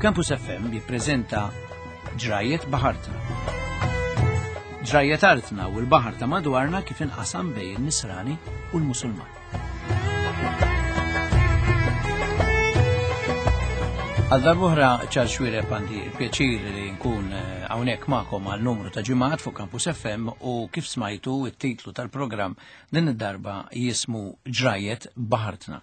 Campus FM jippreżenta Ġrajiet Baħartna. Ġrajiet artna u l-baħar ta' madwarna kif inqasam bejn in-Nisrani u l-Musulman. Għal darbohra ċar xwireb għandi il-pjaċir li nkun eh, hawnhekk magħkom għal numru ta' ġimgħat fuq Campus FM u kif smajtu it-titlu tal-programm din id-darba jismu Ġrajiet Baħartna.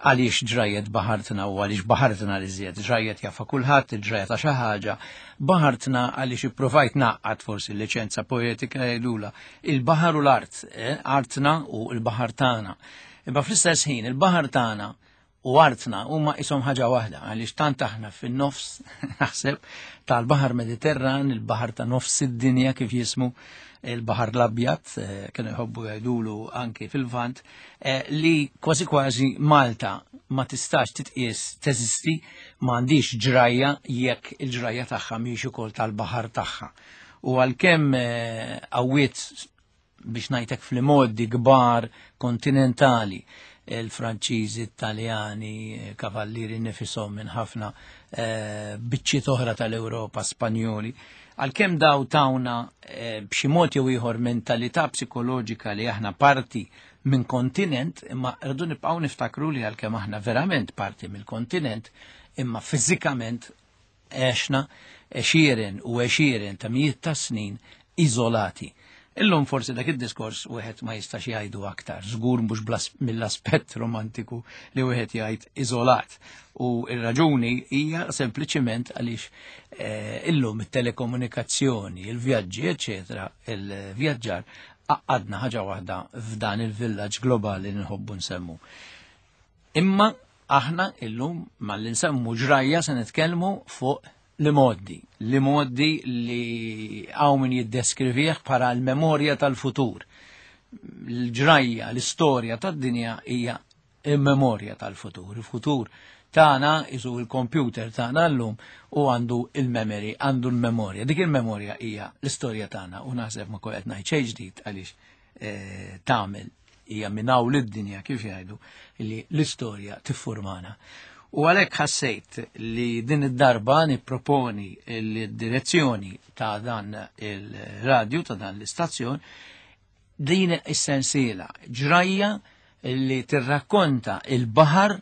Għaliex ġrajiet baħartna u għaliex baħartna li żjed, ġrajiet jafa kulħadd, il-ġraja ta' xi ħaġa, baħartna għaliex ippruvajt naqqad forsi l-liċenza poetika jgħidula il-baħar u l-art, eh, artna u l-baħar tagħna. Imma fl-istess ħin il-baħar tagħna u artna huma ishom ħaġa waħda għaliex tant aħna fin-nofs naħseb tal-Baħar Mediterran, il-baħar ta' nofs id-dinja kif jismu il-Baħar l-Abjad, eh, kienu jħobbu jgħidulu anki fil-Vant, eh, li kważi kważi Malta ma tistax titqies teżisti ma għandix ġrajja jekk il-ġrajja tagħha mhix ukoll tal-baħar tagħha. U għalkemm eh, qawwiet biex ngħidlek fl-modi kbar kontinentali il-Franċiżi, Italjani, kavallieri nifisom minn ħafna eh, biċċiet oħra tal-Ewropa, Spanjoli. Għalkemm daw tawna eh, b'xi mod jew ieħor mentalità psikoloġika li aħna parti minn kontinent, imma rridu nibqgħu niftakru li għalkemm aħna verament parti mill-kontinent, imma fiżikament għexna għexieren u għexieren ta' mijiet ta' snin iżolati. Illum forsi dak id-diskors wieħed ma jistax jgħidu aktar, żgur mhux mill-aspett romantiku li wieħed jgħid iżolat. U r-raġuni hija sempliċiment għaliex eh, illum it-telekomunikazzjoni, il-vjaġġi, eċetera, il-vjaġġar għadna ħaġa waħda f'dan il-villaġġ globali li nħobbu nsemmu. Imma aħna illum malli nsemmu ġrajja se nitkellmu fuq li moddi, li moddi li hawn min jiddeskrivih bħala l-memorja tal-futur. L-ġrajja, l-istorja tad-dinja hija il-memorja tal-futur. Il-futur tagħna isu il-computer tagħna llum u għandu il-memory, għandu l-memorja. Dik il-memorja hija l-istorja tagħna u naħseb ma qed ngħid xejn ġdid għaliex eh, tagħmel hija minn hawn lid-dinja kif jgħidu li l-istorja tiffurmana. U għalhekk ħassejt li din id-darba nipproponi l-direzzjoni ta' dan il-radju, ta' dan l-istazzjon, din is-sensiela ġrajja li tirrakkonta il-baħar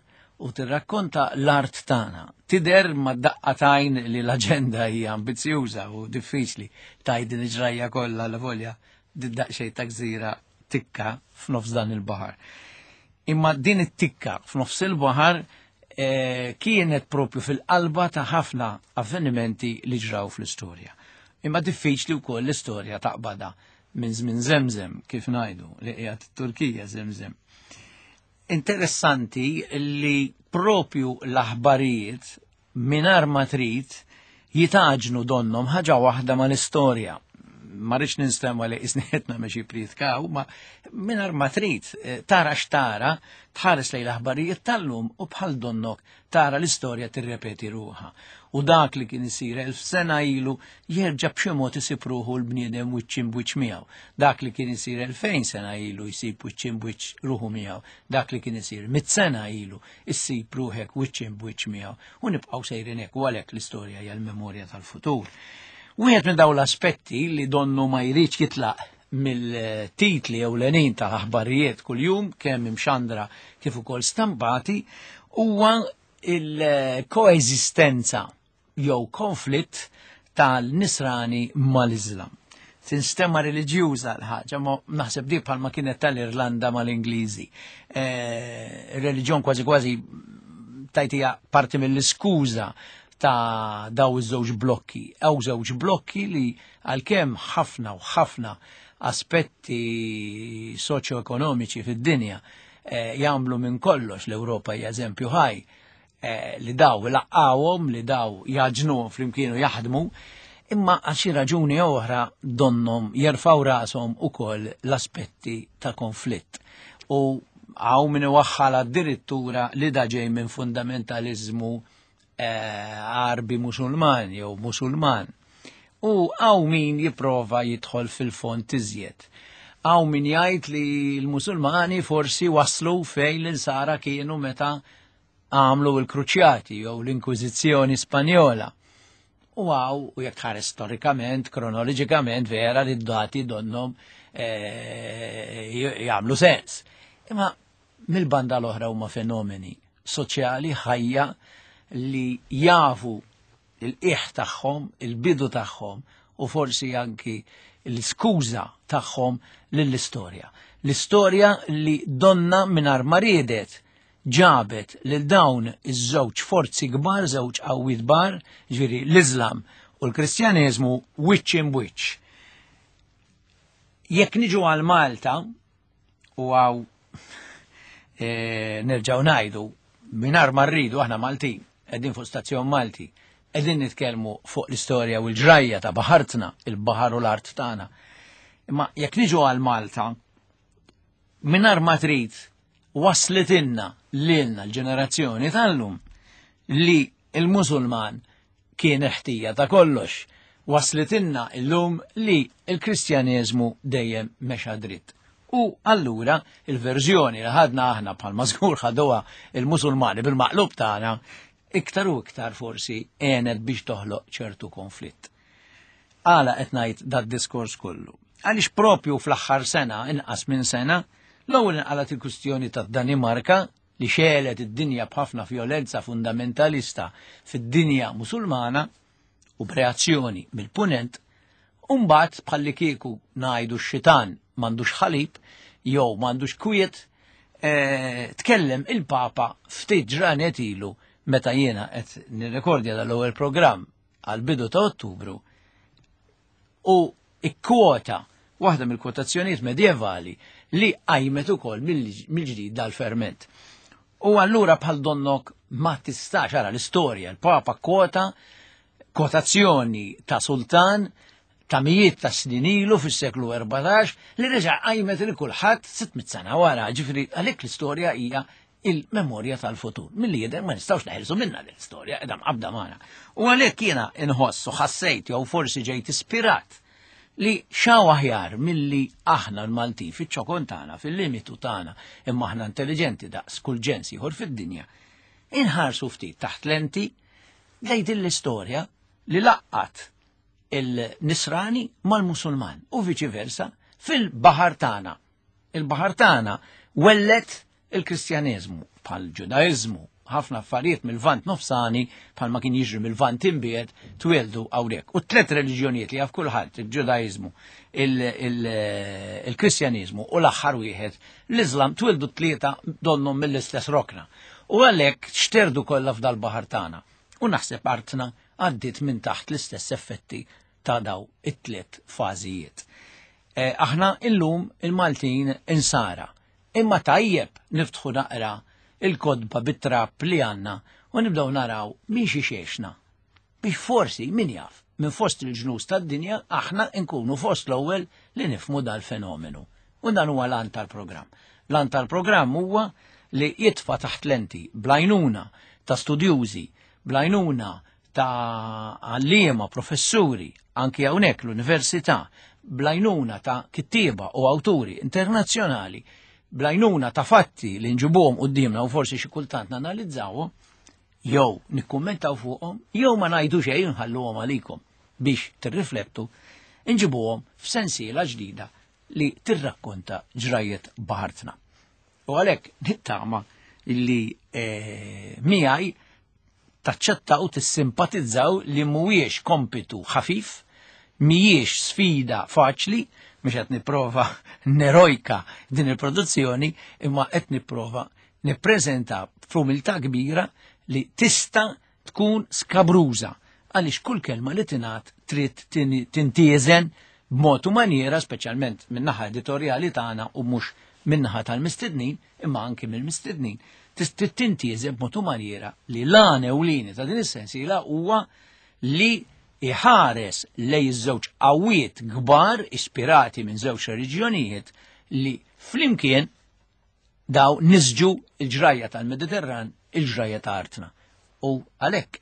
u tirrakkonta l-art tagħna. Tidher ma daqqa tajn li l-aġenda hija ambizzjuża u diffiċli tgħid din il-ġrajja kollha la volja daqsxejn ta' gżira tikka f'nofs dan il-baħar. Imma din it-tikka f'nofs il-baħar eh, kienet propju fil-qalba ta' ħafna avvenimenti li ġraw fl-istorja. Imma diffiċli wkoll l-istorja taqbada minn żmien Zemzem kif ngħidu li qiegħed it-Turkija Zemzem. Interessanti li propju l-aħbarijiet mingħajr ma trid jitaġnu donnom ħaġa waħda mal-istorja. Ma rridx ninstema li isni qed nagħmel xi prietkaw, ma mingħajr ma trid eh, tara x'tara, tħares lejn l-aħbarijiet tal-lum u bħal donnok tara l-istorja tirrepeti ruħha. U dak li kien isir elf sena ilu jerġa' b'xi mod isib ruħu l-bniedem wiċċ imbwiċċ miegħu. Dak li kien isir elfejn sena ilu jsib wiċċ imbwiċċ ruħu miegħu. Dak li kien isir mit sena ilu issib ruħek wiċċ imbwiċċ miegħu u nibqgħu sejrin hekk u għalhekk l-istorja hija l-memorja tal-futur. Wieħed minn dawn l-aspetti li donnu ma jridx jitlaq mill-titli ewlenin ta' aħbarijiet kuljum kemm imxandra kif ukoll stampati huwa il-koeżistenza jew konflitt tal-Nisrani mal-Iżlam. Tinstema reliġjuża l-ħaġa, ma naħseb di bħalma kienet tal-Irlanda mal-Ingliżi. Eh, reliġjon kważi kważi tajtija parti mill-iskuża ta' daw iż-żewġ blokki. Ew żewġ blokki li għalkemm ħafna u ħafna aspetti soċjoekonomiċi fid-dinja eh, jagħmlu minn kollox l-Ewropa hija eżempju ħaj Eh, li daw laqqawhom, li daw jaġnuhom flimkien u jaħdmu, imma għal xi raġuni oħra donnom jerfaw rashom ukoll l-aspetti ta' konflitt. U għaw min iwaħħal addirittura li da ġej minn fundamentalizmu eh, Arbi Musulman jew Musulman. U għaw min jipprova jidħol fil-fond iżjed. Għaw min jgħid li l-Musulmani forsi waslu fejn l-insara kienu meta. għamlu l-Kruċjati jew l-Inkwiżizzjoni Spanjola. U għaw, u jekk tħares storikament, kronoloġikament, vera li d-dati donnom eh, jagħmlu sens. Imma mill-banda l-oħra huma fenomeni soċjali ħajja li jafu il-qiegħ tagħhom, il-bidu tagħhom u forsi anki l-iskuża tagħhom lill-istorja. L-istorja li donna mingħajr ma riedet ġabet lil dawn iż-żewġ forzi kbar, żewġ qawwiet kbar, ġifieri l-Iżlam u l-Kristjaneżmu wiċċ imb wiċċ. Jekk niġu għal Malta, u għaw e, nerġaw najdu, minar ma rridu aħna Maltin, qegħdin fuq stazzjon Malti, qegħdin nitkellmu fuq l-istorja u l-ġrajja ta' baħartna, il-baħar u l-art tagħna. Imma jekk niġu għal Malta, minar ma trid waslitinna lilna l-ġenerazzjoni tal-lum li il-Musulman kien ħtija ta' kollox. Waslitinna illum li il-Kristjaneżmu dejjem mexa dritt. U allura il-verżjoni li ħadna aħna bħalma żgur ħaduha il-Musulmani bil-maqlub tagħna iktar u iktar forsi għenet biex toħloq ċertu konflitt. Għala qed ngħid dad-diskors kollu? Għaliex propju fl-aħħar sena, inqas minn sena, l-ewwel inqalat il-kwistjoni tad-Danimarka li xegħlet id-dinja b'ħafna vjolenza fundamentalista fid-dinja Musulmana u b'reazzjoni mill-Punent, u mbagħad bħallikieku ngħidu x-xitan m'għandux ħalib jew m'għandux kwiet, eh, tkellem il-Papa ftit ġranet ilu meta jiena qed nirrekordja dal-ewwel programm għal bidu ta' Ottubru u ikkwota waħda mill-kwotazzjonijiet medjevali li qajmet ukoll mill-ġdid dal-ferment. U allura bħal donnok ma tistax ara l-istorja, il-Papa kwota kwotazzjoni ta' sultan ta' mijiet ta' snin ilu fis-seklu 14 li reġa' qajmet il kulħadd 600 sena wara, ġifieri għalhekk l-istorja hija il-memorja tal-futur. Milli jidher ma nistgħux neħilsu minna l-istorja, qiegħda mqabda magħna. U għalhekk jiena inħoss u ħassejt jew forsi ġejt ispirat li xaw aħjar milli aħna l-Maltin fiċ-ċokon tagħna, fil-limitu tagħna, imma aħna intelligenti daqs kull ġens ieħor fid-dinja. Inħarsu ftit taħt lenti lejn din l-istorja li laqqat il-Nisrani mal-Musulman u viċi versa fil-baħar tagħna. Il-baħar tagħna wellet il-Kristjaneżmu bħal ġudaiżmu, ħafna affarijiet mill-Lvant Nofsani bħalma kien jiġri mill-Lvant Imbiegħed twieldu hawnhekk. U tliet reliġjonijiet li jaf kulħadd, il-Ġudaiżmu, il-Kristjaneżmu u l-aħħar wieħed, l-Iżlam twieldu tlieta donnhom mill-istess rokna. U għalhekk xterdu kollha f'dal-baħar tagħna. U naħseb artna għaddiet minn taħt l-istess effetti ta' daw it-tliet fażijiet. Eh, aħna illum il-Maltin insara Imma tajjeb niftħu naqra il-kotba bit-trab li għandna u nibdew naraw minn xi xexna. Biex forsi, min jaf, minn fost il-ġnus tad-dinja aħna nkunu fost l-ewwel li nifhmu dal-fenomenu. U dan huwa l-għan tal-programm. L-għan tal-programm huwa li jitfa' taħt lenti bl-għajnuna ta' studjużi, bl-għajnuna ta' għalliema, professuri, anki hawnhekk l-università, bl-għajnuna ta' kittieba u awturi internazzjonali, bl-għajnuna ta' fatti li nġibuhom quddiemna u forsi xi kultant nanalizzawhom, jew nikkummentaw fuqhom, jew ma ngħidu xejn nħalluhom għalikom biex tirriflettu, nġibuhom f'sensiela ġdida li tirrakkonta ġrajiet baħartna. U għalhekk nittama li eh, miegħi taċċettaw tissimpatizzaw li mhuwiex kompitu ħafif, mhijiex sfida faċli, mhux qed nipprova nerojka din il-produzzjoni, imma qed nipprova nippreżenta f'umiltà kbira li tista' tkun skabruża għaliex kull kelma li tingħad trid tintieżen b'mod u maniera, speċjalment min-naħa editorjali tagħna u mhux min-naħa tal-mistednin, imma anki mill-mistednin, trid tintieżen b'mod u maniera li l-għan ewlieni ta' din is-sensiela huwa li iħares lej iż-żewġ qawwiet kbar ispirati minn żewġ reliġjonijiet li flimkien daw nisġu il-ġrajja tal-Mediterran, il-ġrajja ta' artna. U għalhekk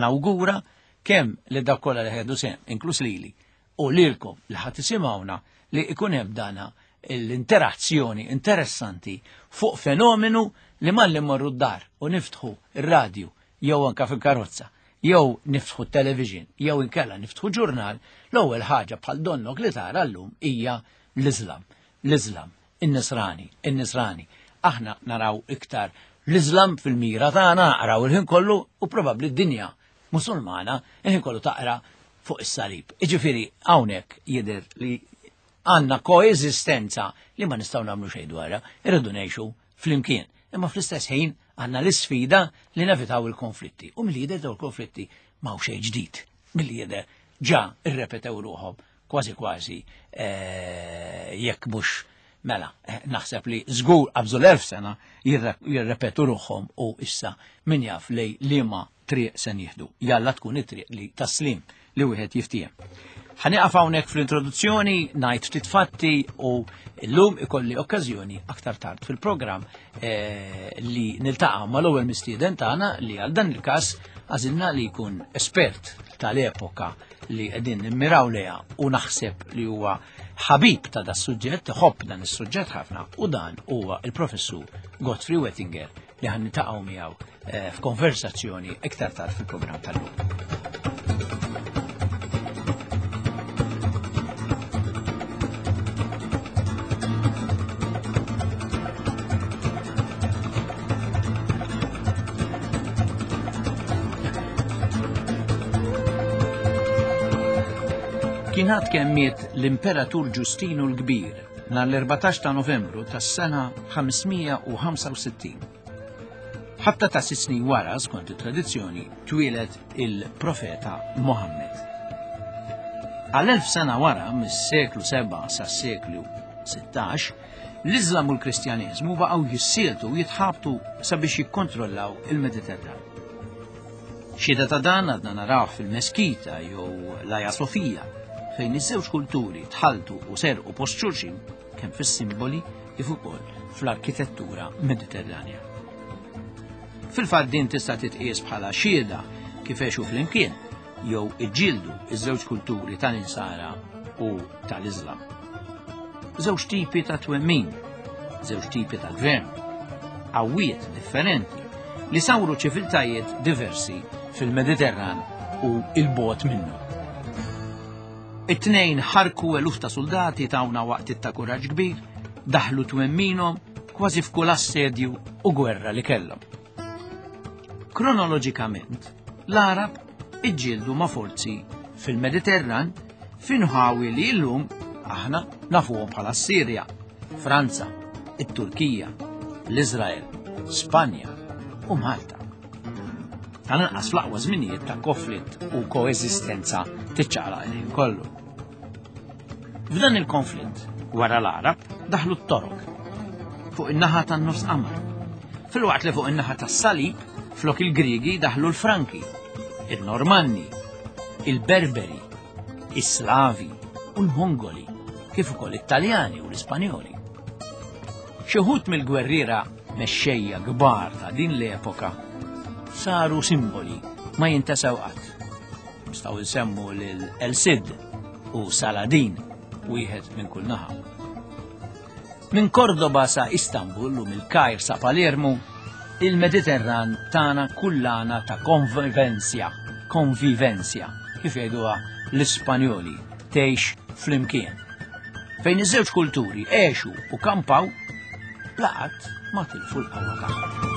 nawgura kemm li dak kollha li ħedu sehem, inkluż lili, u lilkom li ħadd isimgħuna li ikun hemm dana l-interazzjoni interessanti fuq fenomenu li malli mmorru d-dar u niftħu ir-radju jew anka fil-karozza jew niftħu television jew inkella niftħu ġurnal, l-ewwel ħaġa bħal donnok li tara llum hija l-Iżlam. L-Iżlam, in-Nisrani, in-Nisrani. Aħna naraw iktar l-Iżlam fil-mira tagħna naqraw il-ħin kollu u probabbli d-dinja Musulmana il-ħin kollu taqra fuq is-salib. Iġifieri hawnhekk jidher li għandna koeżistenza li ma nistgħu nagħmlu xejn dwarha, irridu ngħixu flimkien. Imma fl-istess ħin għandna l-isfida li nevitaw il-konflitti. U milli jidher dawn il-konflitti ma xejn ġdid. Milli jidher ġa irrepetew ruħhom kważi kważi eh, jekk mhux mela eh, naħseb li żgur qabżu l-elf sena jirrepetu ruħhom u issa min jaf li liema triq se nieħdu. Jalla tkun it-triq li taslim li wieħed jiftiehem. Ħanieqaf hawnhekk fl-introduzzjoni, ngħid ftit fatti u llum ikolli okkażjoni aktar tard fil-programm eh, li niltaqa' mal-ewwel mistieden tagħna li għal dan il-każ għażilna li jkun espert tal-epoka li qegħdin nimmiraw lejha u naħseb li huwa ħabib ta' da suġġett, iħobb dan is-suġġett ħafna u dan huwa il-professur Godfrey Wettinger li ħan nitaqgħu miegħu eh, f'konversazzjoni iktar tard fil-programm tal-lum. Kien għad kemm miet l-Imperatur Ġustinu l-Kbir nhar l-14 ta' Novembru tas-sena 565. Ħabta ta' sitt snin wara, skont it-tradizzjoni, twieled il-profeta Mohammed. Għal elf sena wara, mis-seklu 7 sas-seklu 16, l-Iżlam u l-Kristjaneżmu baqgħu jissieltu u jitħabtu sabiex jikkontrollaw il-Mediterran. Xhieda ta' dan għadna narawh fil-Meskita jew l-Aja Sofija, fejn iż-żewġ kulturi tħalltu u serqu post xulxin kemm fis-simboli kif ukoll fl-arkitettura Mediterranja. Fil-fatt din tista' titqies bħala xhieda kif għexu flimkien jew iġġieldu iż-żewġ kulturi tal-insara u tal-Iżlam. Żewġ tipi ta' twemmin, żewġ tipi ta' gvern, qawwiet differenti li sawru ċiviltajiet diversi fil-Mediterran u il-bot minnu. It-tnejn ħarku eluf ta' soldati tawna waqt ta' kuraġġ kbir, daħlu twemminhom kważi f'kull assedju u gwerra li kellhom. Kronoloġikament, l-Arab iġġieldu ma' forzi fil-Mediterran f'inħawi li llum aħna nafuhom bħala Sirja, Franza, it-Turkija, l-Iżrael, Spanja u Malta. Tal-anqas fl-aqwa żminijiet ta' konflitt u koeżistenza tiċċaqlaq il-ħin kollu. F'dan il-konflitt, wara l-Arab, daħlu t-Torok fuq in-naħa tan-nofs qamar. Filwaqt li fuq in-naħa tas-Salib, flok il-Griegi daħlu l-Franki, il-Normanni, il-Berberi, is-Slavi u l-Mongoli, kif ukoll it-Taljani u l-Ispanjoli. Xi wħud mill-gwerriera mexxejja kbar ta' din l-epoka saru simboli ma jintesew qatt. Nistgħu nsemmu lil El Cid u Saladin wieħed minn kull naħa. Minn Cordoba sa Istanbul u mill-Kajr sa Palermo, il-Mediterran tana kullana ta' konvivenzja, konvivenzja, kif jgħiduha l-Ispanjoli, tgħix flimkien. Fejn iż-żewġ kulturi għexu u kampaw bla qatt ma tilfu l-qawwa tagħhom.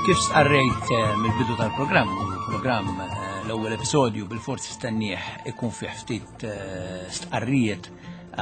Kif stqarrejt eh, mill-bidu tal-programm, programm eh, l-ewwel episodju bil-forsi stennieh ikun fih ftit eh, stqarrijiet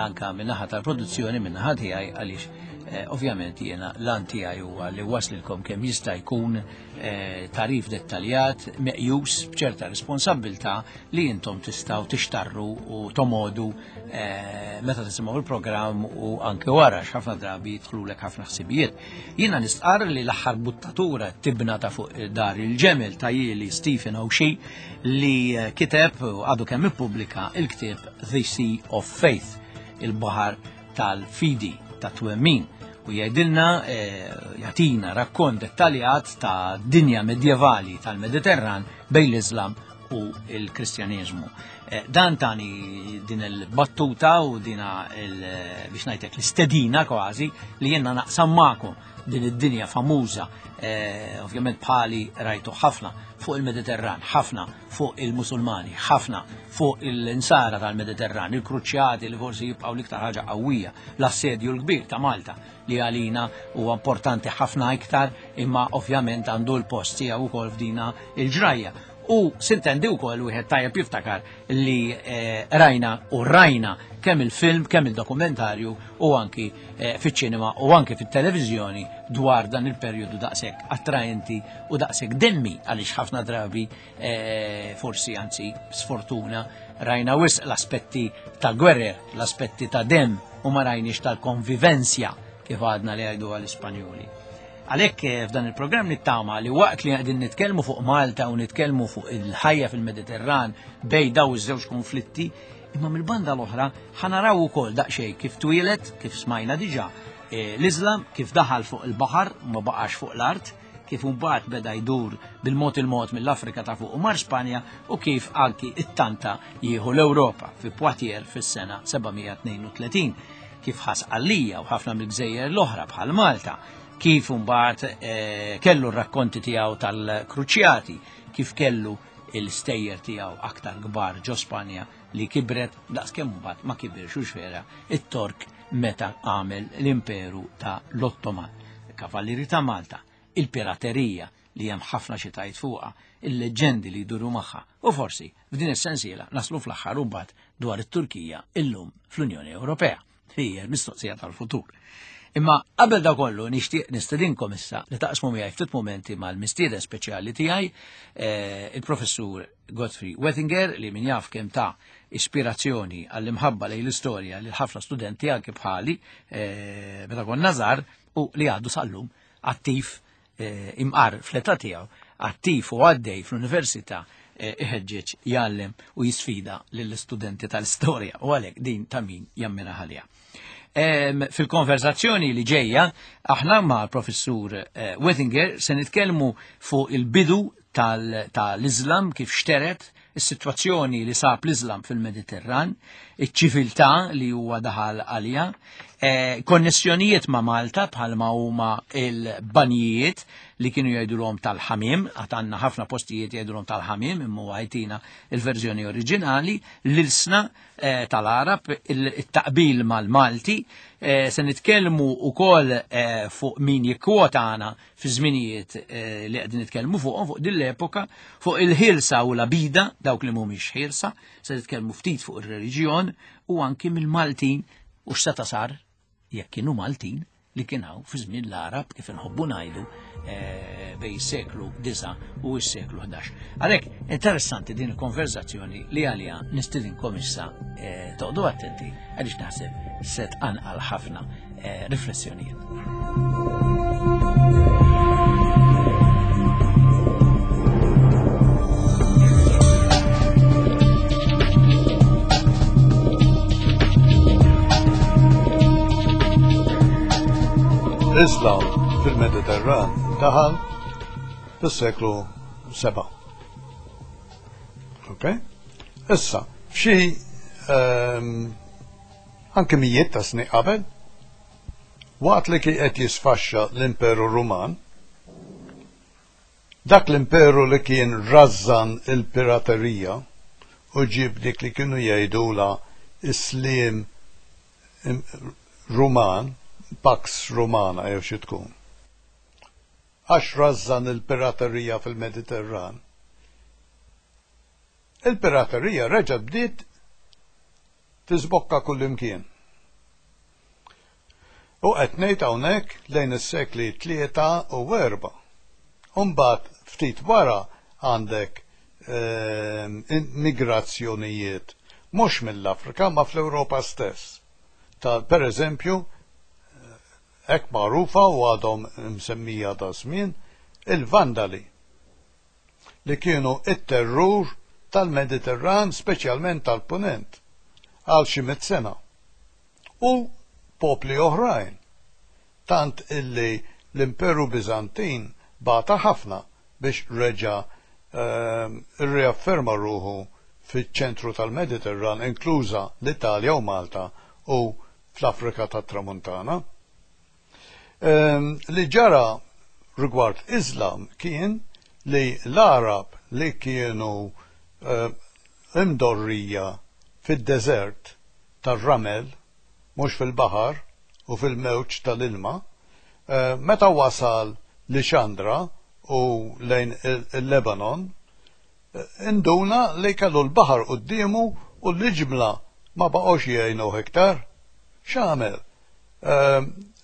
anka min-naħa tal-produzzjoni min-naħa tiegħi għaliex Eh, ovvjament jiena l-għan tiegħi huwa li waslilkom kemm jista' jkun eh, tarif dettaljat meqjus b'ċerta responsabbiltà li intom tistgħu tixtarru u tomodu eh, meta tisimgħu il-programm u anke wara x'ħafna drabi jidħlulek ħafna ħsibijiet. Jiena nistqarr li l-aħħar buttatura tibna ta' fuq dar il-ġemel ta' jieli Stephen O'Shea li kiteb u għadu kemm ippubblika il-ktieb The Sea of Faith, il-baħar tal-fidi, ta' twemmin u jgħidilna eh, jagħtina rakkont dettaljat ta' dinja medjevali tal-Mediterran bejn l-Islam u l-Kristjaneżmu. Eh, dan tani din il-battuta u dina biex ngħidlek l-istedina kważi li jenna naqsam magħkom din id-dinja famuża, eh, ovvjament bħali rajtu ħafna fuq il-Mediterran, ħafna fuq il-Musulmani, ħafna fuq il-insara tal-Mediterran, il-kruċjati li forsi jibqgħu l-iktar ħaġa qawwija, l-assedju l-kbir ta' Malta li għalina huwa importanti ħafna iktar imma ovvjament għandu l-post tiegħu wkoll f'dina il-ġrajja. U sintendi wkoll wieħed tajjeb jiftakar li eh, rajna u rajna kemm il-film, kemm il-dokumentarju u anki eh, fiċ-ċinema u anki fit-televiżjoni dwar dan il-perjodu daqshekk attraenti u daqshekk demmi għaliex ħafna drabi eh, forsi anzi sfortuna rajna wisq l-aspetti ta' gwerer, l-aspetti ta' dem u ma rajniex tal-konvivenzja kif għadna li għajdu għal-Ispanjoli. Għalhekk eh, f'dan il-programm nittama li waqt li qegħdin nitkellmu fuq Malta u nitkellmu fuq il-ħajja fil-Mediterran bej daw iż-żewġ konflitti, imma mill-banda l-oħra ħanaraw ukoll daqsxejn kif twieled, kif smajna diġà, eh, l-Iżlam kif daħal fuq il-baħar ma baqax fuq l-art, kif mbagħad beda jdur bil-mod il-mod mill-Afrika ta' fuq u mar Spanja u kif anki it-tanta jieħu l-Ewropa fi Poitiers fis-sena 732 kif ħas għalija u ħafna mill-gżejjer l-oħra bħal Malta kif mbagħad eh, kellu r-rakkonti tiegħu tal-kruċjati, kif kellu il-stejjer tiegħu aktar kbar ġo Spanja li kibret daqskemm mbagħad ma kibirx u vera it-Tork meta għamel l-imperu ta' l-Ottoman, il-Kavallieri ta' Malta, il-piraterija li hemm ħafna xi tajt fuqha, il-leġendi li jduru magħha u forsi f'din is-sensiela naslu fl-aħħar u mbagħad dwar it-Turkija illum fl-Unjoni Ewropea. Hija l-mistoqsija tal-futur. Imma qabel da kollu nixtieq nistedinkom issa li taqsmu miegħi ftit momenti mal-mistieden speċjali tiegħi eh, il-professur Godfrey Wettinger li min jaf kemm ta' ispirazzjoni għall-imħabba lejn l-istorja lil ħafna studenti anke bħali eh, meta konna żgħar u li għadu sal-lum attiv eh, imqar fl-età tiegħu attiv u għaddej fl-università eh, iħeġġeġ jgħallem u jisfida lill-istudenti tal-istorja u għalhekk din ta' min jammira ħalija. Fil-konverzazzjoni li ġejja, aħna ma' professur eh, Wettinger se nitkellmu fuq il-bidu tal-Islam kif xteret, is-sitwazzjoni li sab l-Islam fil-Mediterran, iċ-ċiviltà li huwa daħal għalija, eh, konnessjonijiet ma' Malta bħalma huma il-banjijiet li kienu jgħidulhom tal-ħamiem, għad għandna ħafna postijiet jgħidulhom tal-ħamiem imma huwa jtina il-verżjoni oriġinali, l-ilsna eh, tal-Arab, il-taqbil mal-Malti, eh, se nitkellmu wkoll fuq min jikkwota għana fi żminijiet eh, li qegħdin nitkellmu fuqhom fuq din l-epoka, fuq il-ħilsa u l-abida, dawk li mhumiex ħilsa, se nitkellmu ftit fuq ir-reliġjon u anki mill-Maltin u x'seta' sar jekk kienu Maltin li kien hawn fi żmien l-Arab kif inħobbu ngħidu eh, bej seklu 9 u s-seklu 11. Għalhekk interessanti din il-konverzazzjoni li għalija nistidinkom issa eh, toqgħodu attenti għaliex naħseb se tqanqal ħafna eh, riflessjonijiet. L-Islam fil-Mediterran daħal fis-seklu 7. Ok? Issa, f'xi um, Anki mijiet ta' snin qabel, waqt li kien qed jisfaxxa l-Imperu Ruman, dak l-imperu li kien rażżan il-piraterija u ġieb dik li kienu jgħidulha s-sliem Ruman, Pax Romana jew xi tkun. Għax rażżan il-piraterija fil-Mediterran. Il-piraterija reġgħet bdiet tiżbokka kullimkien. U qed ngħid hawnhekk lejn is-sekli 3 u 4. U mbagħad ftit wara għandek migrazzjonijiet mhux mill-Afrika ma fl-Ewropa stess. Ta' per eżempju, hekk magħrufa u għadhom msemmija da żmien, il-Vandali li kienu it-terrur tal-Mediterran, speċjalment tal-Punent, għal xi 100 sena. U popli oħrajn, tant illi l-Imperu Bizantin bata ħafna biex reġa riafferma ruħu fiċ-ċentru tal-Mediterran, inkluża l-Italja u Malta u fl-Afrika tat-Tramuntana. Li ġara rigward Islam kien li l-Arab li kienu imdorrija fid-deżert tar-ramel, mhux fil-baħar u fil-mewġ tal-ilma, meta wasal Lixandra u lejn il-Lebanon, induna li kellu l-baħar quddiemu u l-iġmla ma baqgħux jgħinuh iktar. X'għamel?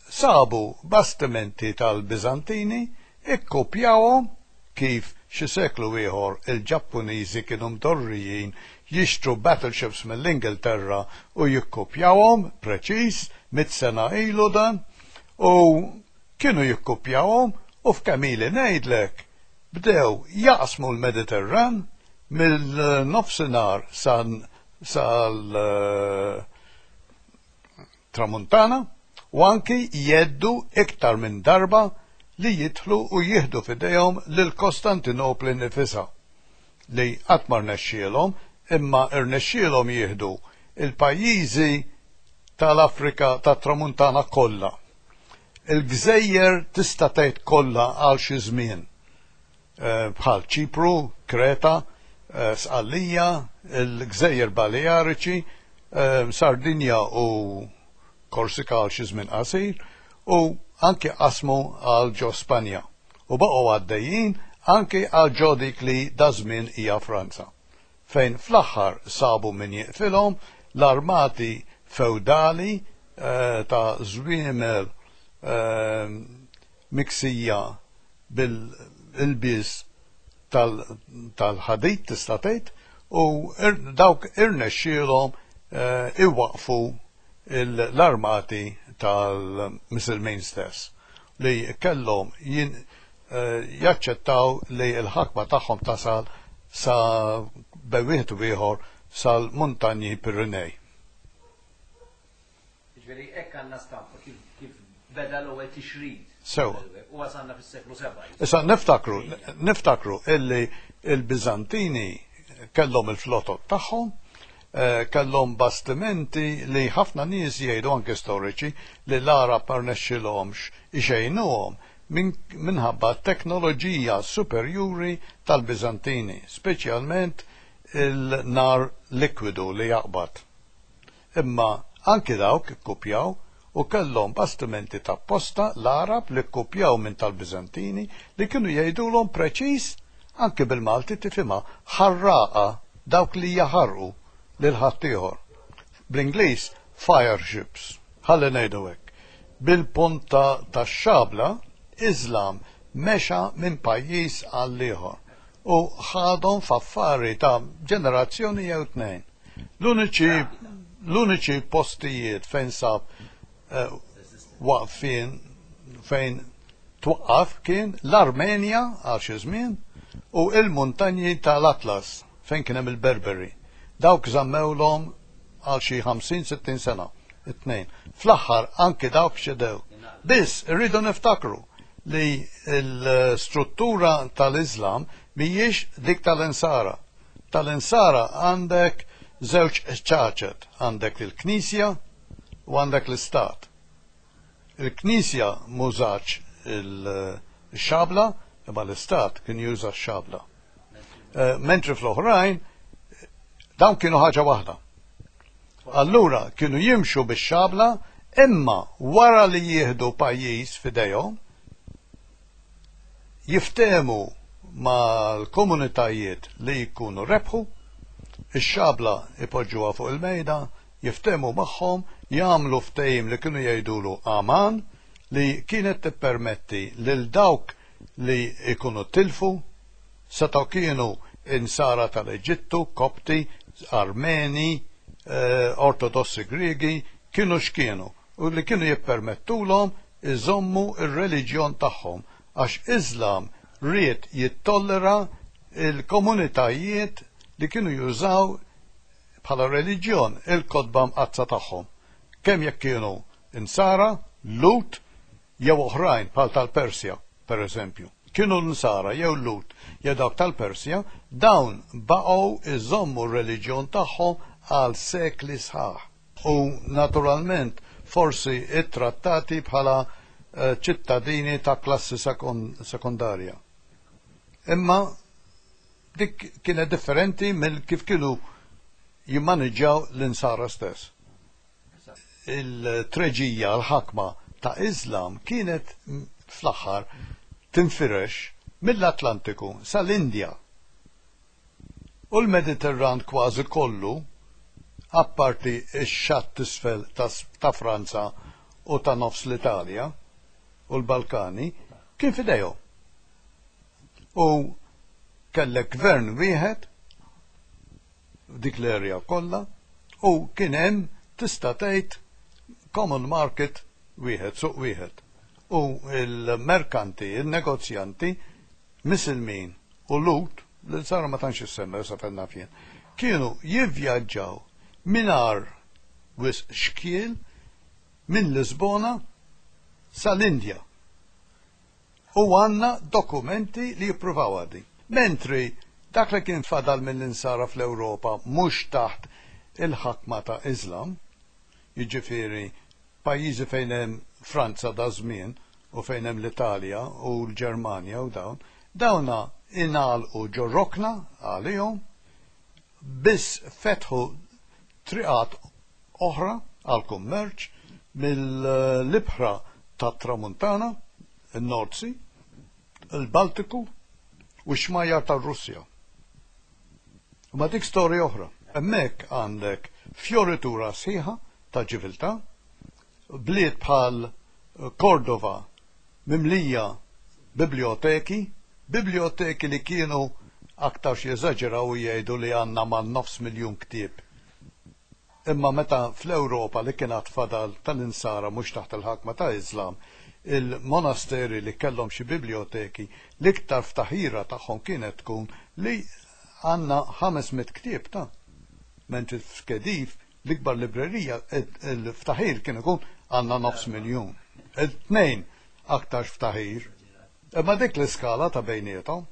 Sabu bastimenti tal-Bizantini, ikkopjawhom kif xi seklu ieħor il-Ġappuniżi kienu mdorrijin jixtru battleships mill-Ingilterra u jikkopjawhom preċiż 100 sena ilu dan, u kienu jikkopjawhom u f'kemm ili ngħidlek bdew jaqsmu l-Mediterran mill-nofsinhar sal tramuntana u anki jheddu iktar minn darba li jidħlu u jieħdu f'idejhom lil Kostantinopli nifisha, li qatt ma rnexxielhom, imma rnexxielhom jieħdu il-pajjiżi tal-Afrika tat-Tramuntana kollha. Il-gżejjer tista' tgħid kollha għal xi żmien, bħal Ċipru, Kreta, Sqallija, il-Gżejjer Baleariċi, Sardinja u Korsika għal xi żmien qasir, u anki qasmu għal ġo Spanja. U baqgħu għaddejjin anki għal ġo dik li da żmien hija Franza, fejn fl-aħħar sabu min jiqfilhom, l-armati feudali ta' żwiemel miksija bil-ilbies tal-ħadid tista' tgħid, u dawk irnexxielhom iwaqfu l-armati tal-Misilmin stess li kellhom jaċċettaw li l-ħakma tagħhom tasal sa bejn wieħed u ieħor sal-muntanji Pirinej. Ġifieri hekk għandna stampa kif beda l-ewwel tixrid. Sewa. U wasalna fis-seklu 7. Issa niftakru illi il-Bizantini kellhom il-flotot tagħhom, kellhom bastimenti li ħafna nies jgħidu, anke storiċi, li l-Arab ma rnexxilhomx ixejnuhom minħabba teknoloġija superjuri tal-Bizantini, speċjalment il-nar likwidu li jaqbad. Imma anki dawk ikkupjaw u kellhom bastimenti ta' posta l-Arab li kkupjaw minn tal-Bizantini li kienu jgħidulhom preċiż, anki bil-Malti tifhimha, ħarraqa, dawk li jaħarqu lil ħaddieħor. Bl-Ingliż fire ships, ħalli ngħidu hekk. Bil-punta tax-xabla, Islam mexa minn pajjiż għal ieħor u ħadhom f'affari ta' ġenerazzjoni jew tnejn. L-uniċi postijiet fejn sab waqfien, fejn twaqqaf, kien l-Armenja għal xi żmien u il-muntanji tal-Atlas fejn kien hemm il-Berberi. Dawk żammewlhom għal xi 50-60 sena, it-tnejn. Fl-aħħar anki dawk ċedew. Biss irridu niftakru li l-struttura tal-Islam mhijiex dik tal-Insara. Tal-Insara għandek żewġ ċaċet, għandek il-Knisja u għandek l-Istat. Il-Knisja m'użatx il-xabla, imma l-Istat kien juża x-xabla. Mentri fl-oħrajn, dawn kienu ħaġa waħda. Allura kienu jimxu bix-xabla, imma wara li jieħdu pajjiż f'idejhom, jiftehmu mal-komunitajiet li jkunu rebħu, ix-xabla ipoġġuha fuq il-mejda, jiftehmu magħhom, jagħmlu ftehim li kienu jgħidulu aman, li kienet tippermetti lil dawk li jkunu tilfu, setgħu kienu Insara tal-Eġittu, Kopti, Armeni, Ortodossi Griegi, kienu x'kienu, u li kienu jippermettulhom iżommu r-reliġjon tagħhom, għax Iżlam ried jittollera l-komunitajiet li kienu jużaw bħala reliġjon il-kotba mqaddsa tagħhom, kemm jekk kienu Insara, Lhud jew oħrajn bħal tal-Persja, per eżempju. Kienu Nsara jew Lhud jew dawk tal-Persja, dawn baqgħu jżommu r-reliġjon tagħhom għal sekli sħaħ. U naturalment forsi ttrattati bħala ċittadini ta' klassi sekondarja. Imma dik kienet differenti mill kif kienu jimmaniġġjaw l-Insara stess. Il-treġija, l-ħakma ta' Iżlam kienet fl-aħħar tinfirex mill-Atlantiku sal-Indja u l-Mediterran kważi kollu, apparti x-xatt t'isfel ta' Franza u ta' nofs l-Italja u l-Balkani, kien f'idejhom. U kellek gvern wieħed f'dik l-area kollha u kien hemm tista' tgħid common market wieħed, suq wieħed. U l-merkanti, il-negozjanti, Misilmin u Lhud, l-Insara ma tantx issemmew sa fejn naf jien, kienu jivvjaġġaw mingħajr wisq xkiel minn Lisbona sal-Indja. U għandna dokumenti li jippruvawha din. Mentri dak li kien fadal mill-Insara fl-Ewropa mhux taħt il-ħakma ta' Iżlam, jiġifieri pajjiżi fejn hemm Franza daż-żmien u fejn hemm l-Italja u l-Ġermanja u dawn, dawna ingħalqu ġo rokna għalihom, biss fetħu triqat oħra għall-kummerċ mill-ibħra tat-Tramuntana, in-North Sea, il-Baltiku u x-xmajjar tar-Russja. Imma dik storja oħra. Hemmhekk għandek fjoritura sħiħa ta' ċiviltà, bliet bħal Cordova mimlija biblioteki, biblioteki li kienu aktarx jeżaġeraw u jgħidu li għandna man-nofs miljun ktieb. Imma meta fl-Ewropa li kien għad fadal tal-Insara mhux taħt il-ħakma ta' Iżlam, il-monasteri li kellhom xi biblioteki, l-iktar ftaħira tagħhom kienet tkun li għandna 500 ktieb ta'. Mentri f'Khedive, l-ikbar librerija, il-ftaħir kien ikun għandna nofs miljun. Il-tnejn aktarx ftaħir. Imma dik l-iskala ta' bejniethom.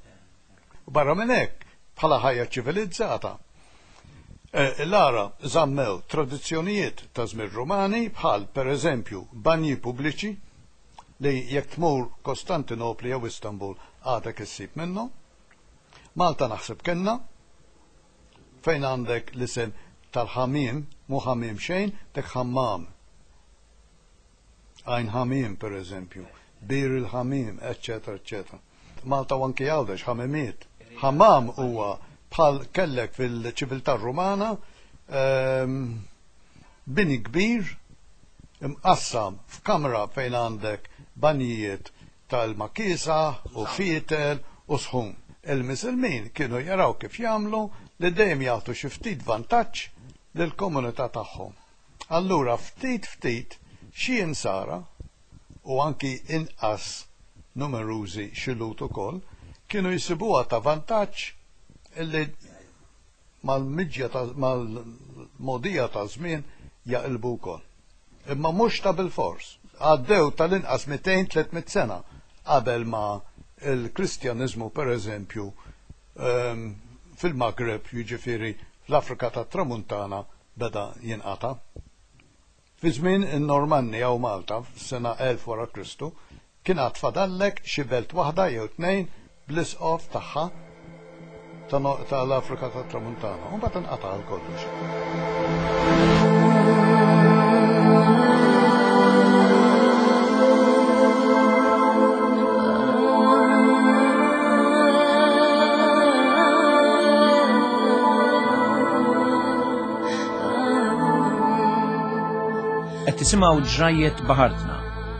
U barra minn hekk, bħala ħajja ċivilizzata, l-Għarab żammew tradizzjonijiet ta' żmien Rumani bħal, pereżempju, banji pubbliċi li jekk tmur Kostantinopli jew Istanbul għadek issib minnhom. Malta naħseb kellna, fejn għandek l-isem tal-ħamiem, mhu ħamiem xejn, dik ħammam. Għajn Ħamiem, pereżempju, Bir il-Ħamiem, eċċetera, eċċetera. Malta u anki Għawdex, ħamimiet. Ħammam huwa bħal kellek fil-ċiviltà Rumana bini kbir imqassam f'kamra fejn għandek banjijiet ta' ilma kiesaħ u fietel u sħun. Il-Misilmin kienu jaraw kif jagħmlu li dejjem jagħtu xi ftit vantaġġ lill-komunità tagħhom. Allura ftit ftit xi Insara, u anki inqas numerużi xi Lhud ukoll, kienu jsibuha ta' vantaġġ illi mal-miġja ta' mal-mogħdija taż-żmien jaqilbu wkoll. Imma mhux ta' bilfors. Għaddew tal-inqas 200, 300 sena qabel ma l-Kristjaniżmu pereżempju fil-Maghreb, jiġifieri fl-Afrika tat-Tramuntana, beda jinqata'. Fi żmien in-Normanni hawn Malta, fis-sena 1000 wara Kristu, kien għad fadallek xi belt waħda jew tnejn bl-isqof tagħha ta' l-Afrika tat-Tramuntana, u mbagħad inqata' għal kollox. Qed tisimgħu Ġrajjet Baħartna,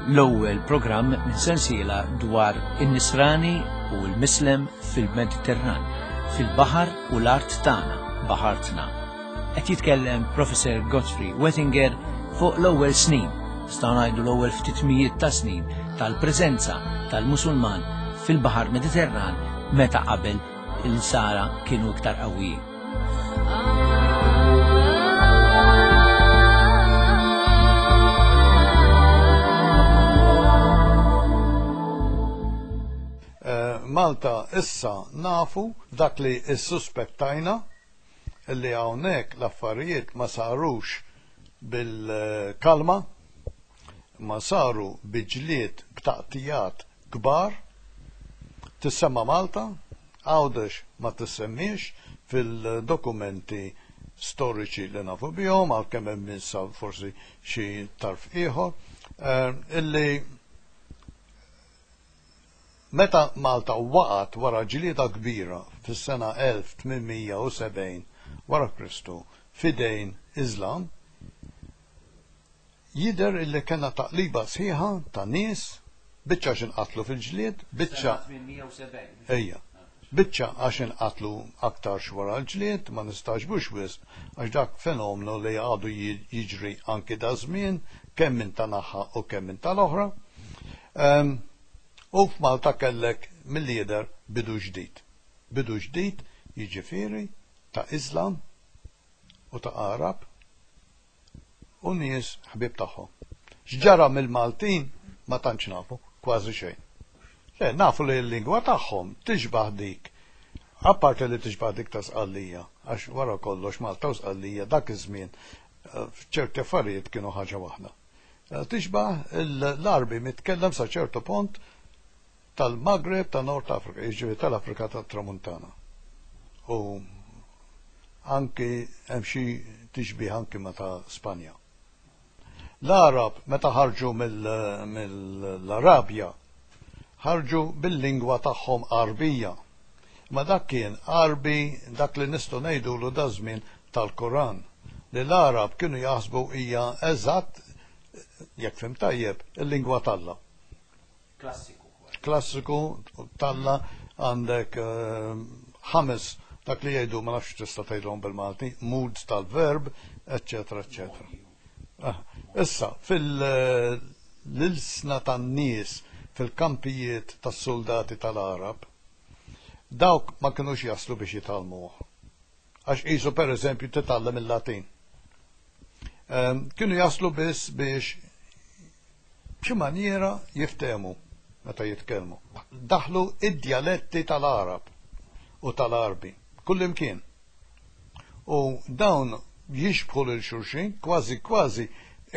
l-ewwel programm minn sensiela dwar in-Nisrani u l-Mislem fil-Mediterran, fil-baħar u l-art tagħna, baħartna. Qed jitkellem Professor Godfrey Wettinger fuq l-ewwel snin, nistgħu ngħidu l-ewwel ftit mijiet ta' snin tal-preżenza tal-Musulman fil-Baħar Mediterran meta qabel il-Sara kienu iktar qawwijin. Eh, Malta issa nafu dak li issuspettajna li hawnhekk l-affarijiet ma sarux bil-kalma, ma saru bi ġlied b'taqtijat kbar. Tissemma Malta, Għawdex ma tissemmiex fil-dokumenti storiċi li nafu bihom, għalkemm hemm issa forsi xi tarf ieħor, eh, illi meta Malta waqgħet wara ġlieda kbira fis-sena 1870 wara Kristu f'idejn Iżlam, Jidher illi kellna taqliba sħiħa ta' nies, biċċa għax inqatlu fil-ġlied, biċċa. 870. Ejja. Biċċa għax inqatlu aktarx wara l-ġlied, ma nistagħġbux wisq għax dak fenomnu li għadu jiġri anki daż-żmien, kemm minn ta' naħa u kemm minn tal-oħra. U f'Malta kellek milli jidher bidu ġdid. Bidu ġdid jiġifieri ta' Iżlam u ta' Għarab u nies ħbieb tagħhom. X'ġara mill-Maltin ma tantx nafu, kważi xejn. Le, nafu li l-lingwa tagħhom tixbah dik, apparti li tixbah dik ta' Sqallija, għax wara kollox Malta u Sqallija dak iż-żmien eh, f'ċerti affarijiet kienu ħaġa waħda. Eh, tixbah l-Għarbi mitkellem sa ċertu punt tal-Maghreb ta' Nord Afrika, jiġifieri tal-Afrika tat-Tramuntana. U anki hemm xi tixbih anki ma' ta' Spanja. L-Għarab meta ħarġu mill-Arabja ħarġu bil-lingwa tagħhom Għarbija. Ma dak kien Għarbi dak li nistgħu ngħidulu daż-żmien tal-Koran, li l-Għarab kienu jaħsbu hija eżatt, jekk fhimt tajjeb, il-lingwa t'Alla. Klassiku. Klassiku talla għandek eh, ħames dak li jgħidu ma nafx tista' tgħidhom bil-Malti, moods tal-verb, eċċetera, eċċetera. Ah, issa, fil-ilsna tan-nies fil-kampijiet tas-soldati tal-Arab, dawk ma kinux jaslu biex jitgħallmuh. Għax qisu pereżempju titgħallem il-Latin. Ehm, kienu jaslu biss biex b'xi manjiera jiftehmu meta jitkellmu. Daħlu id-djaletti tal-Għarab u tal-Għarbi kullimkien. U dawn jixbħu lil xulxin kważi kważi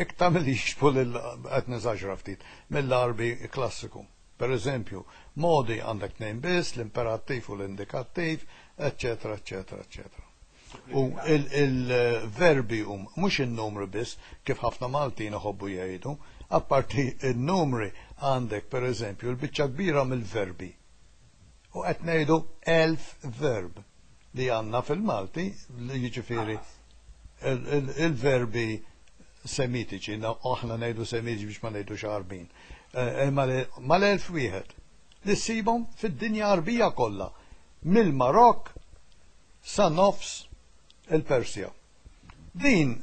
iktar milli jixbħu lil qed neżaġra ftit mill-Għarbi klassiku. Per eżempju, modi għandek tnejn biss, l-imperattiv u l-indikattiv, eċċetera, eċċetera, eċċetera. U il-verbi hum mhux in-numri biss kif ħafna Maltin iħobbu jgħidu, apparti n-numri għandek pereżempju l-biċċa kbira mill-verbi. U qed ngħidu 1000 verb li għandna fil-Malti, jiġifieri il-verbi semitiċi, aħna ngħidu semitiċi biex ma ngħidux Għarbin, eh, mal-1000 wieħed li ssibhom fid-dinja Għarbija kollha, mill-Marokk sa nofs il-Persja. Din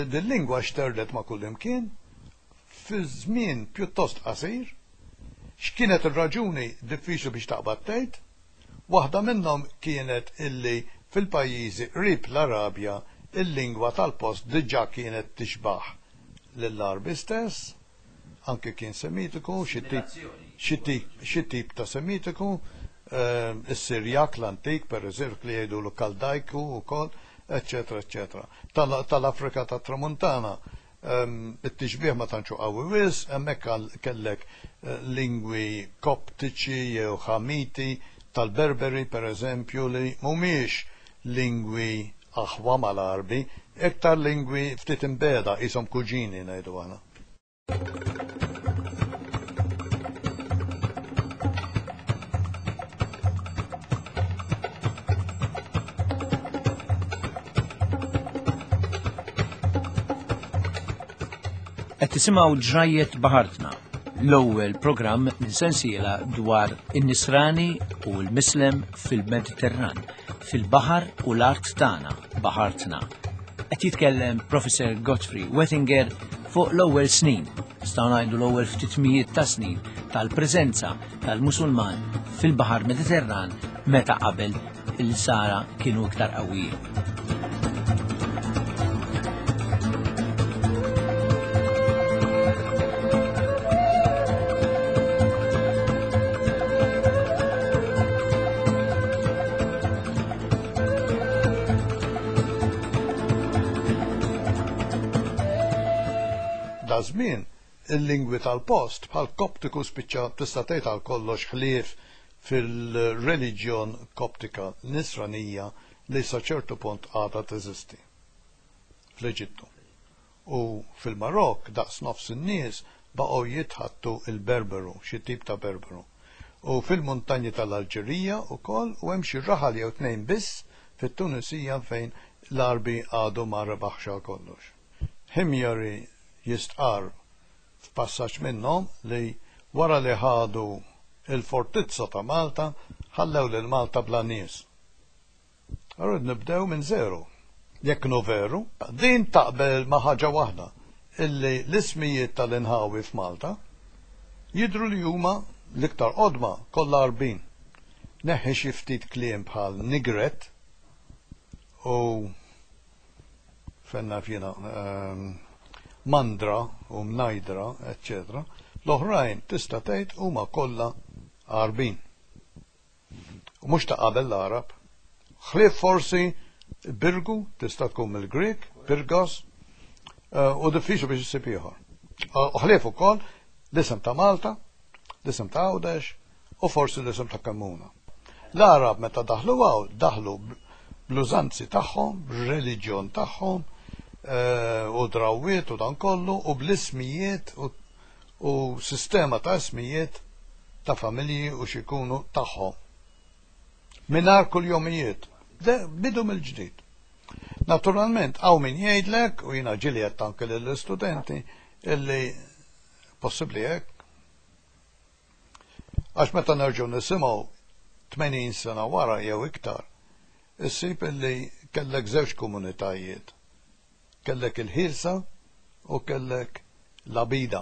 din lingwa xterdet ma' kullimkien fi żmien pjuttost qasir. X'kienet ir-raġuni diffiċli biex taqbad tgħid. Waħda minnhom kienet illi fil-pajjiżi qrib l-Arabja il-lingwa tal-post diġà kienet tixbah lill-Għarbi stess. anke kien Semitiku, xi tip, xi tip, xi tip ta' Semitiku, is-Sirjak l-antik, per eżempju, li jgħidulu Kaldajku wkoll, eċċetera, eċċetera. Tal-Afrika tat-Tramuntana, it-tixbih ma tantx hu qawwi wisq, hemmhekk kellek lingwi Koptiċi jew Ħamiti tal-Berberi, per eżempju, li mhumiex lingwi aħwa mal-Għarbi, iktar lingwi ftit imbiegħda, qishom kuġini ngħidu aħna. Qed tisimgħu Ġrajjiet Baħartna, l-ewwel programm minn sensiela dwar in-Nisrani u l-Mislem fil-Mediterran, fil-baħar u l-art tagħna, baħartna. Qed jitkellem Professor Godfrey Wettinger fuq l-ewwel snin, nistgħu ngħidu l-ewwel ftit mijiet ta' snin tal-preżenza tal-Musulman fil-Baħar Mediterran meta qabel il-Sara kienu iktar qawwijin. Da żmien il-lingwi tal-post bħal Koptiku spiċċa tista' tgħid għal kollox ħlief fil-reliġjon Koptika Nisranija li sa ċertu punt għadha teżisti fl-Eġittu. U fil-Marokk daqs nofs in-nies baqgħu jitħaddtu l-Berberu, xi tip ta' Berberu. U fil-muntanji tal-Alġerija wkoll u hemm xi raħal jew tnejn biss fit-Tunisija fejn l-Għarbi għadu ma rebaħx għal kollox. Himyari jistqarr f'passaġġ minnhom li wara li ħadu l-fortizza ta' Malta ħallew lil Malta bla nies. Allura nibdew minn żero. Jekk inhu veru, din taqbel ma' ħaġa waħda, illi l-ismijiet tal-inħawi f'Malta jidhru li huma l-iktar qodma kollha Għarbin. Neħħi xi ftit kliem bħal nigret u fejn naf jiena, mandra u mnajdra, eċċetera, l-oħrajn tista' tgħid huma kollha Għarbin. U mhux ta' qabel l-Għarab. Ħlief forsi Birgu tista' tkun mill-Grieg, Pirgos, u diffiċli biex issib ieħor. U ħlief ukoll l-isem ta' Malta, l-isem ta' Għawdex u forsi l-isem ta' Kemmuna. L-Għarab meta daħlu hawn, daħlu bl-użanzi tagħhom, b'reliġjon tagħhom, u drawwiet u dan kollu, u bl-ismijiet u sistema ta' ismijiet ta' familji u x'ikunu tagħhom. Mingħajr kuljomijiet. Bidu mill-ġdid. Naturalment, hawn min jgħidlek, u jiena ġieli għedt anke lill-istudenti, illi possibbli hekk. Għax meta nerġgħu nisimgħu 80 sena wara jew iktar, issib illi kellek żewġ komunitajiet. Kellek il-ħielsa u kellek l-abida.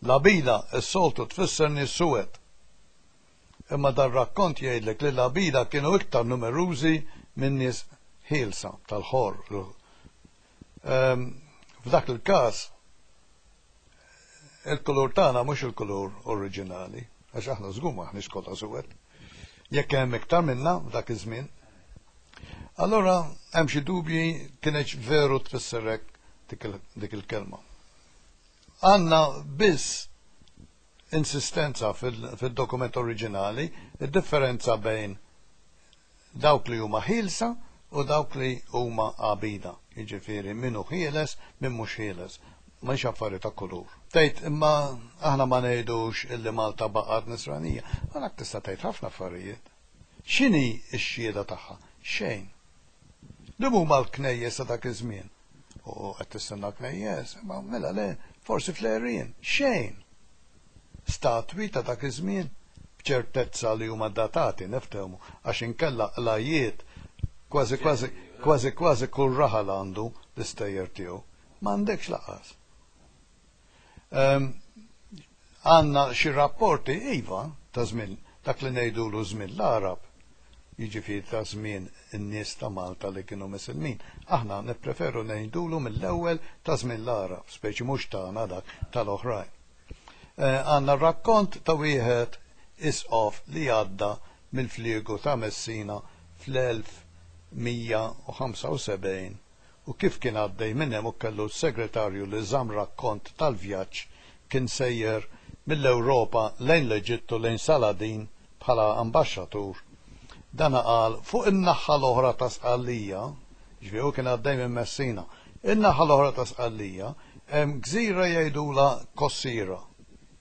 L-abida s-soltu tfisser nies suwed. Imma dar-rakkont jgħidlek li l-abida kienu iktar numerużi minn nies ħielsa tal-ħor. Ehm, f'dak il-każ il-kulur tagħna mhux il-kulur oriġinali, għax aħna żgur m'aħniex kollha suwed. Jekk hemm iktar minna f'dak iż-żmien. Allura hemm xi dubji kienx veru tfisser hekk dik il-kelma. Għandna biss insistenza fil-dokument oriġinali, id-differenza bejn dawk li huma ħielsa u dawk li huma għabida, jiġifieri min hu ħieles, min mhux ħieles. Mhix affari ta' kulur. Tgħid imma aħna ma ngħidux illi Malta baqgħet Nisranija. Ma dak tista' tgħid ħafna affarijiet. X'inhi x-xhieda tagħha? Xejn. Liema huma l-knejjes ta' dak iż-żmien? U qed tistenna knejjes, imma mela le, forsi fl-għerien. Xejn. Statwi ta' dak iż-żmien, b'ċertezza li huma datati, niftehmu, għax inkella qlajjiet kważi kważi kważi kważi kull raħal għandu l-istejjer tiegħu. M'għandekx lanqas. Ehm, għandna xi rapporti iva ta' żmien dak li ngħidulu żmien l-Għarab, jiġifieri ta' żmien in-nies ta' Malta li kienu Misilmin. Aħna nippreferu ngħidulu mill-ewwel ta' żmien l-Għarab, speċi mhux tagħna dak tal-oħrajn. Għandna rakkont ta' wieħed isqof li għadda mill-fliegu ta' Messina fl-1175 u kif kien għaddej minn hemm u kellu s-segretarju li żamm rakkont tal-vjaġġ kien sejjer mill-Ewropa lejn l-Eġittu lejn Saladin bħala ambaxxatur. Dana qal fuq in-naħa l-oħra ta' Sqallija, jiġifieri hu kien għaddej minn Messina, in-naħa l-oħra ta' Sqallija Hemm gżira jgħidulha Kossira,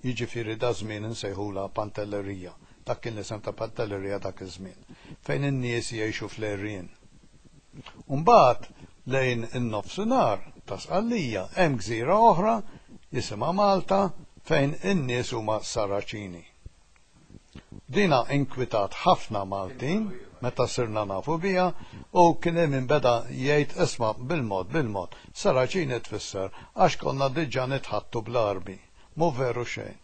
jiġifieri daż-żmien insejħulha Pantellerija, dak kien l-isem ta' Pantellerija dak iż-żmien, fejn in-nies jgħixu fl-għerien. U mbagħad lejn in-nofsinhar ta' Sqallija hemm gżira oħra jisimha Malta fejn in-nies huma Saraċini. Dina inkwitat ħafna Maltin meta sirna nafu biha u kien hemm min beda jgħid isma' bil-mod bil-mod, Saraċini tfisser għax konna diġà nitħaddtu bl-Għarbi. Mhu veru xejn.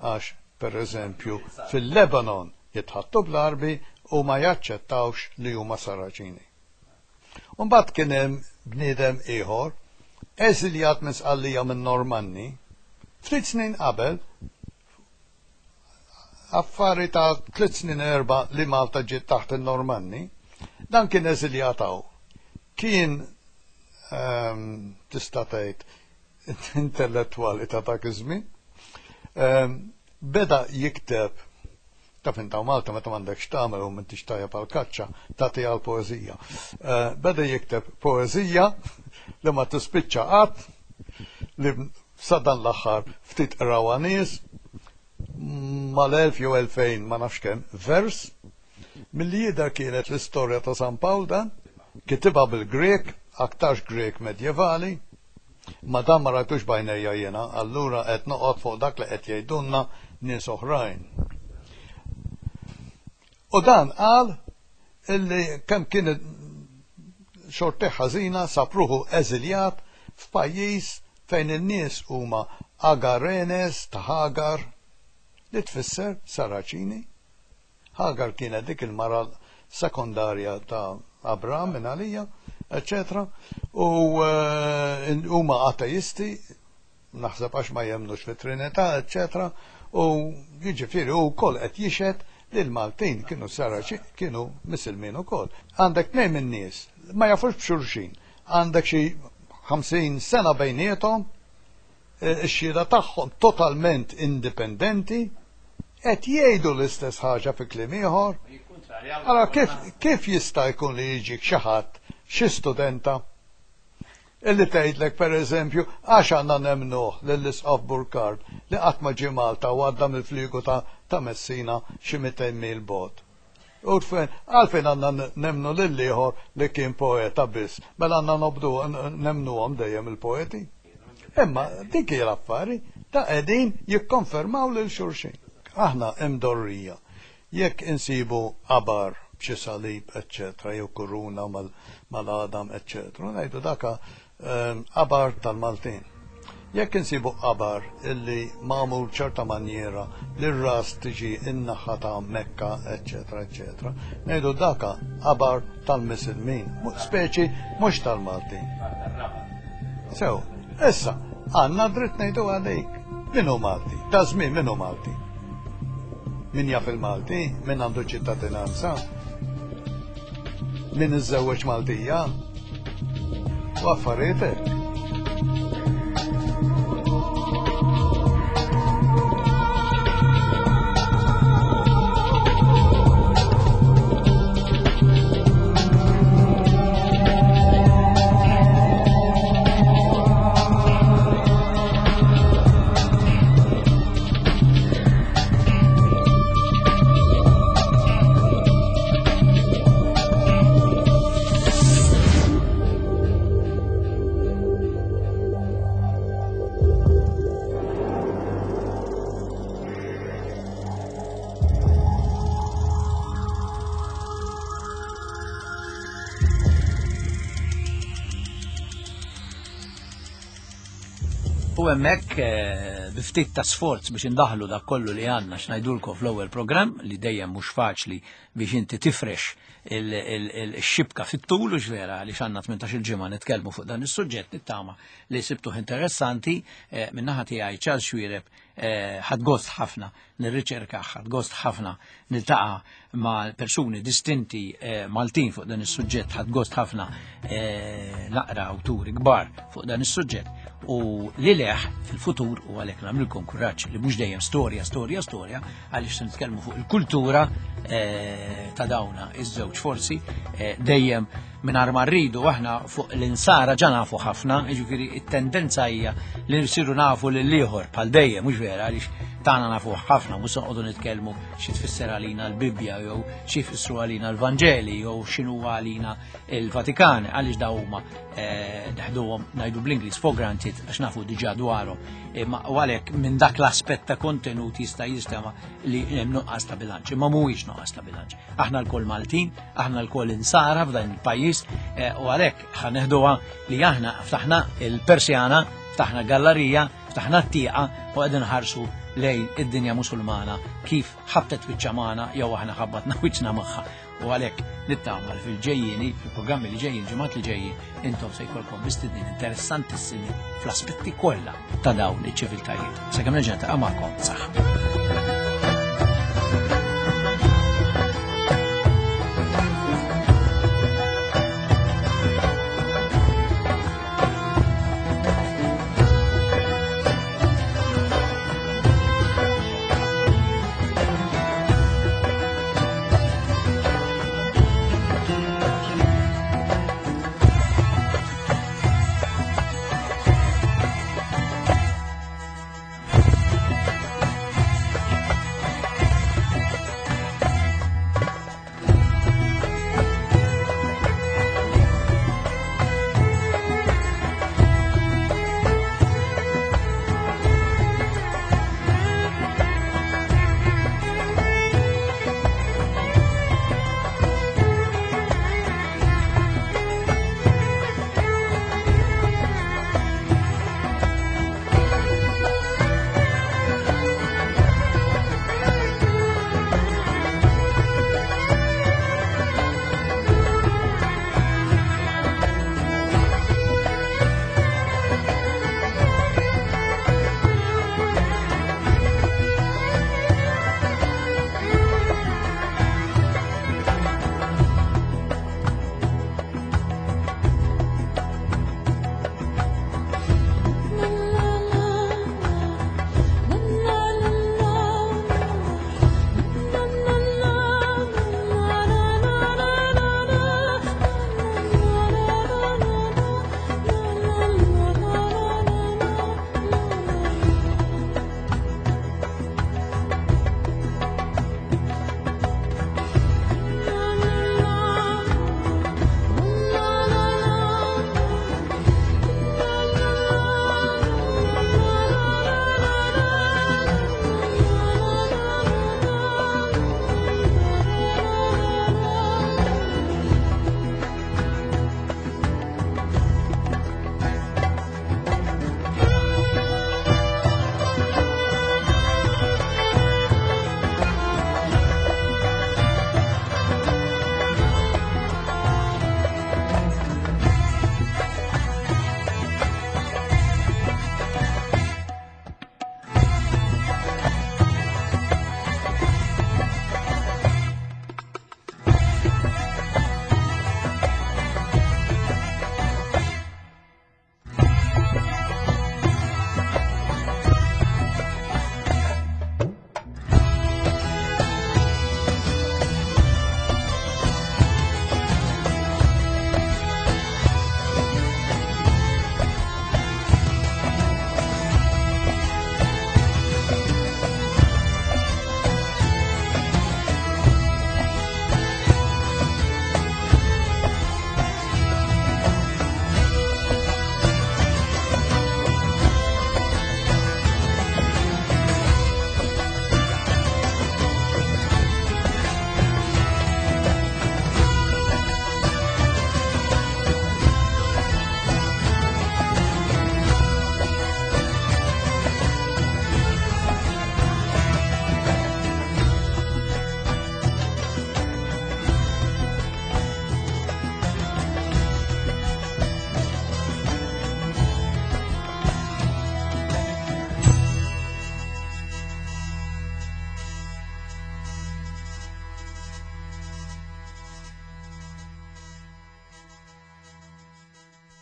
Għax, per eżempju, fil-Lebanon jitħaddtu bl-Għarbi u ma jaċċettawx li huma Saraċini. U mbagħad kien hemm bniedem ieħor, eżiljat minn Sqallija minn Normanni, ftit snin qabel, affari ta' 3 snin 4 li Malta ġiet taħt in-Normanni, dan kien eżiljat hawn. Kien tista' tgħid intellettwali ta' dak iż-żmien. Beda jikteb taf inta Malta meta m'għandekx tagħmel u m'intix tajjeb għal kaċċa tagħti għal poeżija. Beda jikteb poeżija li ma tispiċċa qatt li sa dan l-aħħar ftit qrawha nies mal-1000 jew 2000 ma nafx kemm vers milli jidher kienet l-istorja ta' San Pawl dan, kitibha bil-Grek, aktarx Grek medjevali, ma dan ma rajtux b'għajnejja jiena, allura qed noqgħod fuq dak li qed jgħidulna nies oħrajn. U dan qal illi kemm kien xortih ħażina sab ruħu eżiljat f'pajjiż fejn in-nies huma Agarenes ta' Hagar, li tfisser Saraċini. Hagar kienet dik il-mara sekondarja ta' Abram minn għalija, eċċetera. U huma ateisti, naħseb għax ma jemmnux fit-Trinità, eċċetera. U jiġifieri hu wkoll qed jixhed li l-Maltin kienu Saraċi, kienu Misilmin ukoll. Għandek tnejn min-nies ma jafux b'xulxin. Għandek xi 50 sena bejniethom, ix-xhieda tagħhom totalment indipendenti, qed jgħidu l-istess ħaġa fi kliem ieħor. Allora kif, kif jista' jkun li jiġik xi ħadd, xi studenta, illi tgħidlek pereżempju għax għandna nemmnuh lill-Isqof Burkard li qatt ma ġie Malta u għadda mill-fliegu ta', ta' Messina xi 200 mil bogħod. U għalfejn għandna nemmnu lill-ieħor li kien poeta biss, mela għandna nobdu nemmnuhom dejjem il-poeti. Imma dik hija l-affari ta' qegħdin jikkonfermaw lil xulxin. Aħna imdorrija jekk insibu qabar b'xi salib, eċċetera, jew kuruna mal-għadam, eċċetera, ngħidu daka qabar tal-Maltin. Jekk insibu qabar illi magħmul b'ċerta manjiera li r-ras tiġi in-naħa ta' Mekka, eċċetera, eċċetera, ngħidu daka qabar tal-Misilmin, speċi mhux tal-Maltin. Sew, issa, għandna dritt ngħidu għalik. Min hu Malti? Ta' żmien min hu Malti? Min jaf il-Malti? Min għandu ċittadinanza? Min iżżewweġ Maltija? U affarijiet hekk. U hemmhekk eh, bi ftit ta' sforz biex indaħlu dak kollu li għandna x'ngħidulkom fl-ewwel programm li dejjem mhux faċli biex inti tifrex il-xibka fit-tul u vera li xanna 18 il-ġimgħa nitkellmu fuq dan is-suġġett nittama li sibtuh interessanti eh, min-naħa tiegħi Charles Xuereb eh, ħadd gost ħafna nirriċerka ħadd gost ħafna niltaqa' ma' persuni distinti eh, Maltin fuq dan is-suġġett ħadd gost ħafna naqra awturi kbar fuq dan is-suġġett u li leħ fil-futur u għalhekk nagħmilkom kuraġġ li mhux dejjem storja, storja, storja, għaliex se nitkellmu fuq il-kultura eh, ta' dawna iż-żewġ forsi eh, dejjem mingħajr ma rridu aħna fuq l-insara ġa nafu ħafna, jiġifieri it-tendenza hija li nsiru nafu lil ieħor bħal dejjem mhux vera għaliex Tagħna nafuh ħafna, mhux se noqogħdu nitkellmu xi tfisser għalina l-Bibbja jew xi jfissru għalina l-Vanġeli jew x'inhu għalina il-Vatikan, għaliex daw huma eh, neħduhom ngħidu bl-Ingliż for granted għax nafu diġà dwarhom. Imma u għalhekk minn dak l-aspett ta' kontenut jista' jistema li hemm nuqqas ta' bilanċ, imma mhuwiex nuqqas ta' bilanċ. Aħna lkoll Maltin, aħna lkoll insara f'dan il-pajjiż eh, u għalhekk ħaneħduha li aħna ftaħna il-Persjana, ftaħna gallerija, ftaħna t-tieqa u qegħdin ħarsu lejn id-dinja musulmana kif ħabtet wiċċa magħna jew aħna ħabbatna wiċċna magħha. U għalhekk nittama li fil-ġejjieni, fil-programmi li ġejjin, ġimgħat li ġejjin, intom se jkollkom mistednin interessantissimi fl-aspetti kollha ta' dawn iċ-ċiviltajiet. Sakemm nerġa' niltaqa' magħkom saħħa.